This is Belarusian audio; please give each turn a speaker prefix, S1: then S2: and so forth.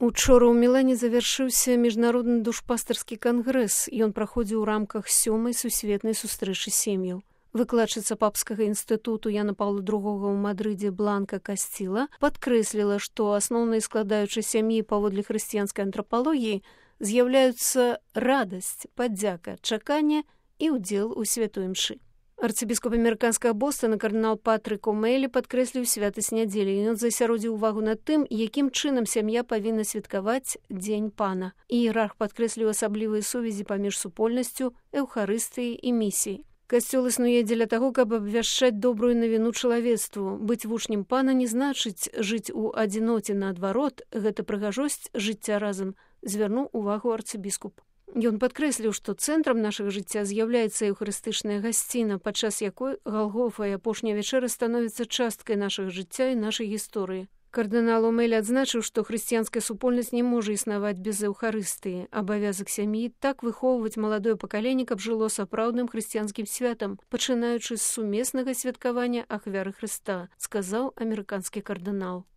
S1: Учора ў Мілане завяршыўся міжнародны душпастарскі кангрэс, ён праходзіў у рамках 7-й сусветнай сустрэчы сем'яў. Выкладчыца папскага інстытуту Яна Паўла II ў Мадрыдзе Бланка Касціла падкрэсліла, што асноўнай складаючай сям'і паводле хрысціянскай антрапалогіі з'яўляюцца радасць, падзяка, чаканне і ўдзел у святой імшы. Арцыбіскуп амерыканскага Бостона кардынал Патрык О'Мэлі падкрэсліў святасць нядзелі. Ён засяродзіў увагу на тым, якім чынам сям'я павінна святкаваць Дзень Пана. Іерарх падкрэсліў асаблівыя сувязі паміж супольнасцю, эўхарыстыяй і місіяй. Касцёл існуе дзеля таго, каб абвяшчаць добрую навіну чалавецтву. Быць вучнем Пана не значыць жыць у адзіноце, наадварот, гэта прыгажосць жыцця разам, звярнуў увагу арцыбіскуп. Ён падкрэсліў, што цэнтрам нашага жыцця з'яўляецца еўхарыстычная гасціна, падчас якой Галгофа і апошняя вячэра становіцца часткай нашага жыцця і нашай гісторыі. Кардынал О'Мэлі адзначыў, што хрысціянская супольнасць не можа існаваць без эўхарыстыі. Абавязак сям'і так выхоўваць маладое пакаленне, каб жыло сапраўдным хрысціянскім святам, пачынаючы з сумеснага святкавання ахвяры Хрыста, сказаў амерыканскі кардынал.